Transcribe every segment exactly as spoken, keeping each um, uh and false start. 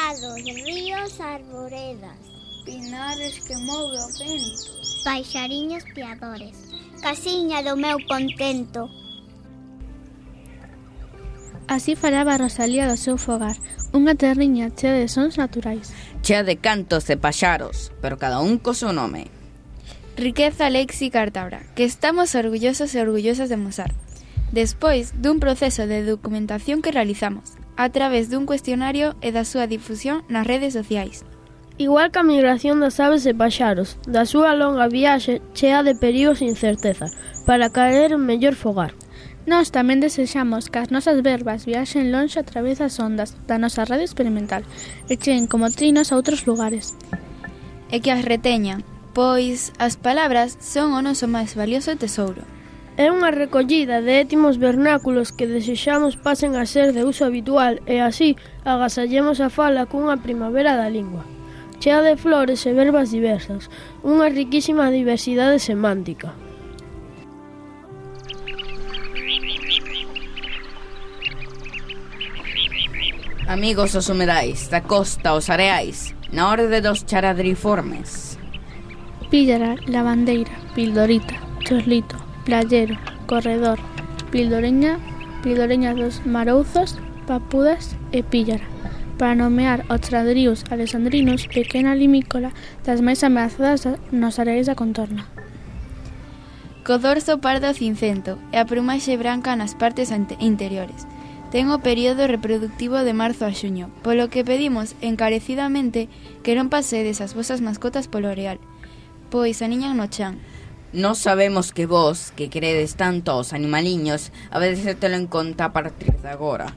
prados, ríos, arboredas, pinares que move o vento, paixariños piadores, casiña do meu contento. Así falaba Rosalía do seu fogar, unha terriña chea de sons naturais. Chea de cantos e paxaros, pero cada un co seu nome. Riqueza léxica artabra, que estamos orgullosos e orgullosas de mostrar. Despois dun proceso de documentación que realizamos, a través dun cuestionario e da súa difusión nas redes sociais. Igual que a migración das aves e paxaros, da súa longa viaxe chea de perigos e incerteza, para caer en mellor fogar. Nós tamén desexamos que as nosas verbas viaxen lonxe a través das ondas da nosa radio experimental e cheguen como trinos a outros lugares. E que as reteñan, pois as palabras son o noso máis valioso tesouro. É unha recollida de étimos vernáculos que desexamos pasen a ser de uso habitual e así agasallemos a fala cunha primavera da lingua, chea de flores e verbas diversas, unha riquísima diversidade semántica. Amigos os humedais, da costa aos areais, na orde dos charadriformes. Píllara, lavandeira, pildorita, chorlito, playero, corredor, pildoreña, pildoreña dos marouzos, papudas e píllara, para nomear os chradríos alexandrinos, pequena limícola das máis ameazadas nos areais da contorna. Co dorso pardo cincento e a plumaxe branca nas partes interiores. Ten o período reproductivo de marzo a xuño, polo que pedimos encarecidamente que non pasedes as vosas mascotas polo areal, pois aniñan no chan. Nos sabemos que vos, que queredes tanto aos animaliños, habedes de telo en conta a partir de agora.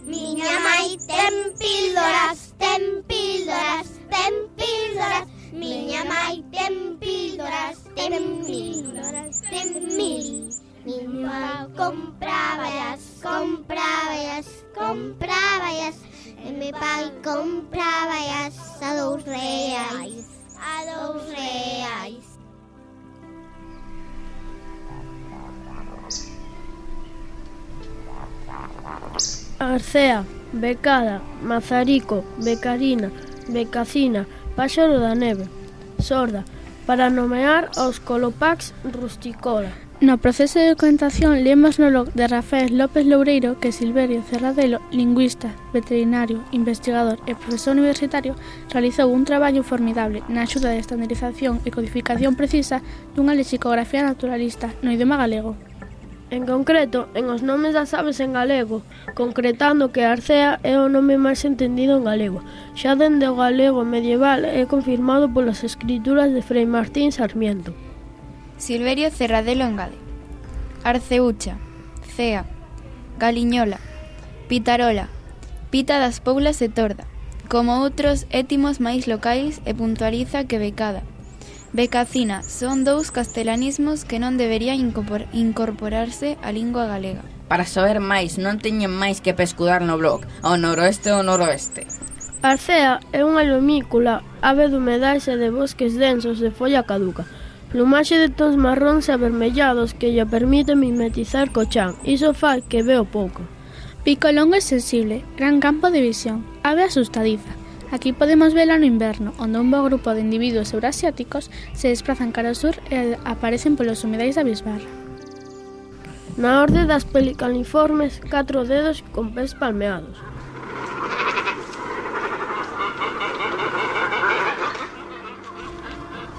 Miña mai ten píldoras, ten píldoras, ten píldoras. Miña mai ten píldoras, ten píldoras, ten mil. Miña mai compráballas, compráballas, compráballas. E mi pai compráballas a dous reais, a dous reais. Arcea, becada, mazarico, becarina, becacina, páxaro da neve, sorda, para nomear aos colopax rusticola. No proceso de documentación lemos no blog de Rafael López Loureiro que Silverio Cerradelo, lingüista, veterinario, investigador e profesor universitario, realizou un traballo formidable na axuda de estandarización e codificación precisa dunha lexicografía naturalista no idioma galego. En concreto, en os nomes das aves en galego, concretando que Arcea é o nome máis entendido en galego. Xa dende o galego medieval é confirmado polas escrituras de Frei Martín Sarmiento. Silverio Cerradelo engade: Arceucha, cea, galiñola, pitarola, pita das Poulas e torda, como outros étimos máis locais, e puntualiza que becada, becacina son dous castelanismos que non deberían incorporarse á lingua galega. Para saber máis, non teñen máis que pescudar no blog, ao noroeste ou noroeste. Arcea é unha lomícula, ave de humedais e de bosques densos de folla caduca. Plumaxe de tons marróns e avermellados que lle permite mimetizar co chan, iso fai que veo pouco. Pico longo e sensible, gran campo de visión, ave asustadiza. Aquí podemos vela no inverno, onde un bo grupo de individuos eurasiáticos se desplazan cara ao sur e aparecen polos humedais da bisbarra. Na orde das pelicaniformes, catro dedos con pés palmeados.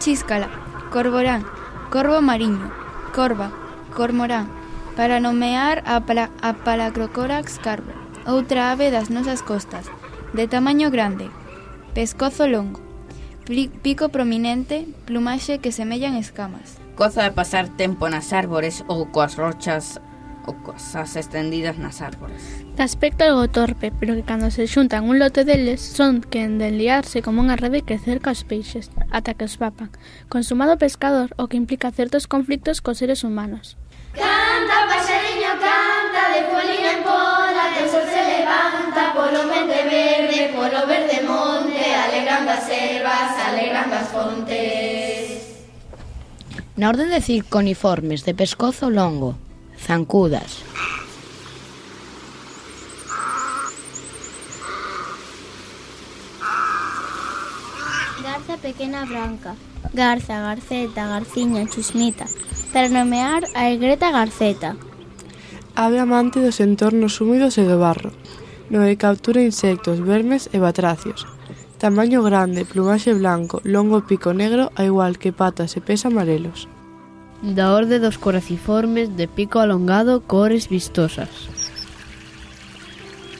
Chíscala, corborán, corvo mariño, corva, cormorán, para nomear a, pala, a Palacrocorax carbo, outra ave das nosas costas, de tamaño grande, pescozo longo, pico prominente, plumaxe que semellan escamas. Goza de pasar tempo nas árbores ou coas rochas ou cosas estendidas nas árbores. De aspecto algo torpe, pero que cando se xuntan un lote deles son que en de liarse como unha rede que cerca os peixes, ata que os papan. Consumado pescador, o que implica certos conflictos cos seres humanos. Canta, paxariño, canta, de polina en pola, que o sol se levanta polo monte verde, polo verde monte, alegrando as selvas, alegrando as fontes. Na orden de circoniformes de pescozo longo, zancudas. pequena branca, garza, garceta, garciña, chusmita, para nomear a egreta garceta. Ave amante dos entornos húmidos e do barro, no que captura insectos, vermes e batracios. Tamaño grande, plumaxe blanco, longo pico negro, a igual que patas e pés amarelos. Da orde dos coraciformes de pico alongado, cores vistosas.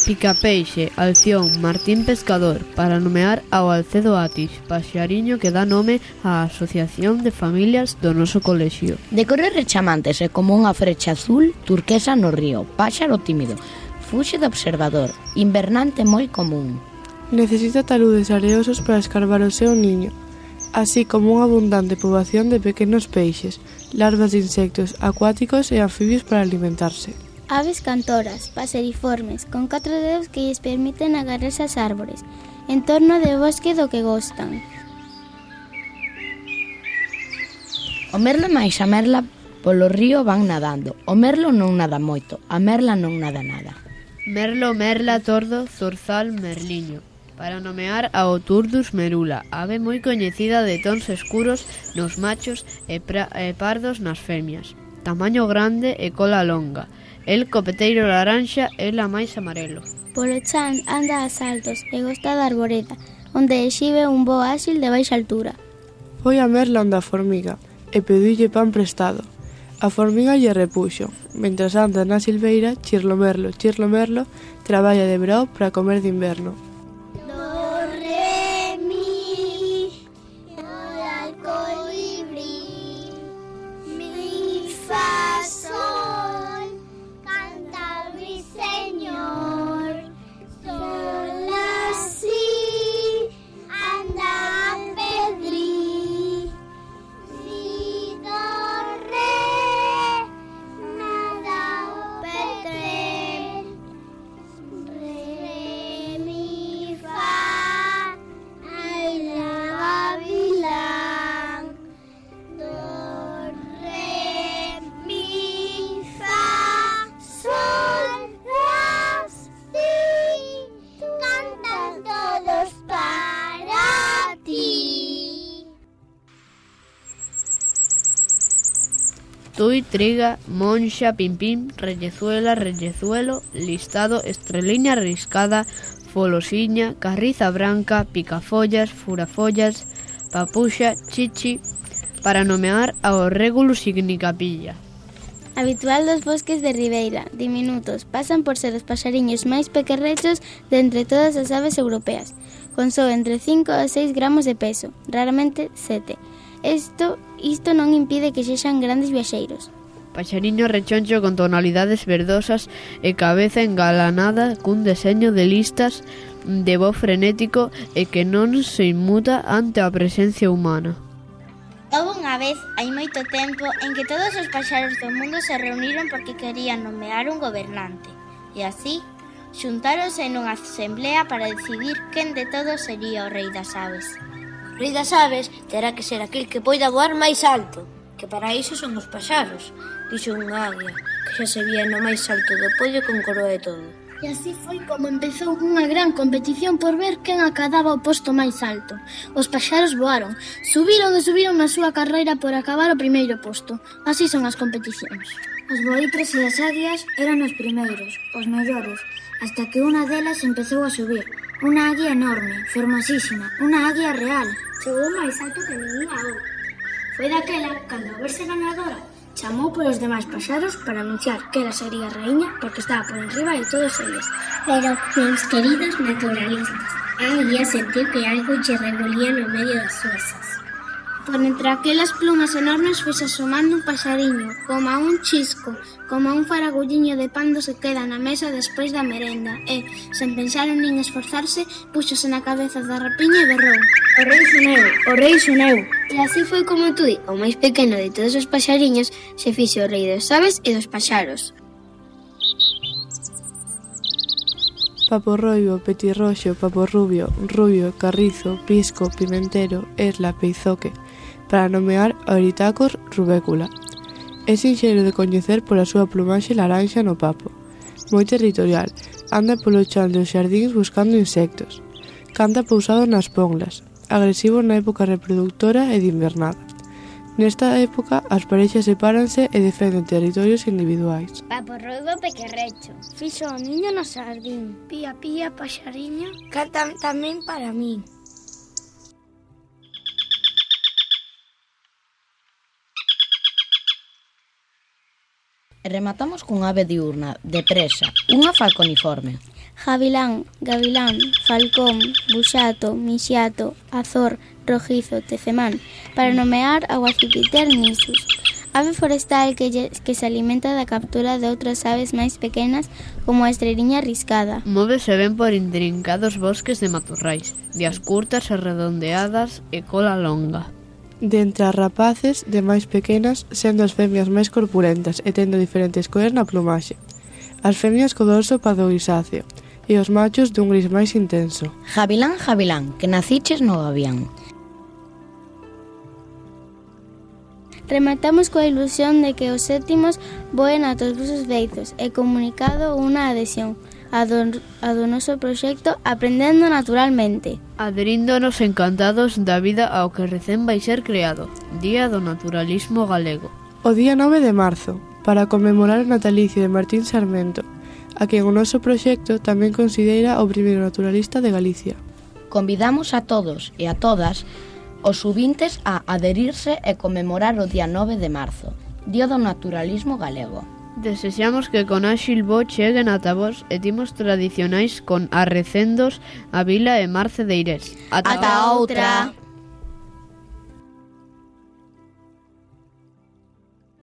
Picapeixe, alción, martín pescador, para nomear ao Alcedo Atis, paxariño que dá nome á Asociación de Familias do noso colexio. De cores rechamantes e como unha frecha azul turquesa no río, páxaro tímido, fuxe do observador, invernante moi común. Necesita taludes areosos para escarbar o seu niño, así como unha abundante poboación de pequenos peixes, larvas de insectos acuáticos e anfibios para alimentarse. Aves cantoras, paseriformes, con catro dedos que lles permiten agarrarse ás árbores, en torno de bosque do que gostan. O merlo máis a merla polo río van nadando. O merlo non nada moito, a merla non nada nada. Merlo, merla, tordo, zorzal, merliño, para nomear ao Turdus merula, ave moi coñecida de tons escuros nos machos e, pra, e pardos nas femias. Tamaño grande e cola longa. El copeteiro laranxa e la máis amarelo. Polo chan anda a saltos e gosta da arboreda, onde exhibe un voo áxil de baixa altura. Foi a merla onde a formiga e pediulle pan prestado. A formiga lle repuxo. Mentras anda na silveira, chirlo merlo, chirlo merlo, traballa de verao para comer de inverno. Do, re, mi, al colibrí, mi, fa, sol, canta ruiseñor, sol, la, si, anda a pedrí, si, do, re, nada o petre, re, mi, fa, ay, la, gavilán, do, re, mi, fa, sol, la, si, cantan todos para ti. Tui, triga, monxa, pimpín, rellezuela, rellezuelo, listado, estreliña riscada, folosiña, carriza branca, picafollas, furafollas, papuxa, chichi, para nomear ao Regulus ignicapilla. Habitual dos bosques de ribeira, diminutos, pasan por ser os paxariños máis pequerrechos de entre todas as aves europeas, con só entre cinco a seis gramos de peso, raramente sete. Isto, isto non impide que sexan grandes viaxeiros. Paxariño rechoncho con tonalidades verdosas e cabeza engalanada cun deseño de listas de voz frenético e que non se inmuta ante a presencia humana. Houve unha vez, hai moito tempo, en que todos os paxaros do mundo se reuniron porque querían nomear un gobernante. E así, xuntáronse nunha asemblea para decidir quen de todos sería o rei das aves. O rei das aves terá que ser aquel que poida voar máis alto, que para iso son os paxaros, dixo unha águia, que xa se vía no máis alto do podio con coroa e todo. E así foi como empezou unha gran competición por ver quen acadaba o posto máis alto. Os paxaros voaron, subiron e subiron na súa carreira por acabar o primeiro posto. Así son as competicións. Os boitres e as águias eran os primeiros, os mellores, hasta que unha delas empezou a subir. Unha águia enorme, fermosísima, unha águia real. Chegou máis alto que ninguén agora. Foi daquela, cando a verse ganadora, chamou polos demais paxaros para anunciar que ela sería raíña porque estaba por enriba de todos eles. Pero, meus queridos naturalistas, a águia sentiu que algo lle revolía no medio das súas asas. Por entre aquelas plumas enormes foi-se asomando un paxariño, como a un chisco, como a un faragulliño de pando se queda na mesa despois da merenda, e, sen pensar en nin esforzarse, púxose na cabeza da rapiña e berrou: O rei son eu, o rei son eu. E así foi como Tui, o máis pequeno de todos os paxariños, se fixe o rei dos aves e dos paxaros. Paporroio, petirroxo, paporrubio, rubio, carrizo, pisco, pimentero, esla, peizoque, para nomear a Euritacus rubécula. É sinxelo de coñecer pola súa plumaxe laranxa no papo. Moi territorial, anda polo chan dos xardíns buscando insectos. Canta pousado nas ponglas. agresivo na época reproductora e de invernada. Nesta época, as parexas sepáranse e defenden territorios individuais. Paporruibo pequerrecho. Fixo o niño no xardín. Pía, pía, paxariño. Cantan tamén para min. E rematamos cun ave diurna, de presa, unha falconiforme. Javilán, gavilán, falcón, buxato, mixiato, azor, rojizo, tecemán, para nomear a Guacipiter nisus, ave forestal que, lle, que se alimenta da captura de outras aves máis pequenas como a estreliña riscada. Móvese ben por intrincados bosques de matorrais, vías curtas e redondeadas e cola longa. De entre as rapaces, de máis pequenas, sendo as femias máis corpulentas e tendo diferentes cores na plumaxe. As femias co dorso pardo grisáceo e os machos dun gris máis intenso. Javilán, javilán, que naciches no gavián. Rematamos coa ilusión de que os séptimos voen a todos os veizos e comunicado unha adhesión a do, a do noso proxecto Aprendendo Naturalmente. Adheríndonos encantados da vida ao que recén vai ser creado, Día do Naturalismo Galego. O día nove de marzo, para conmemorar o natalicio de Martín Sarmento, a quen o noso proxecto tamén considera o primeiro naturalista de Galicia. Convidamos a todos e a todas os subintes a adherirse e conmemorar o día nove de marzo, Día do Naturalismo Galego. Desexamos que con áxil bo cheguen ata vos e timos tradicionais con Arrecendos, a Vila e Marce de Irés. Ata, Ata outra!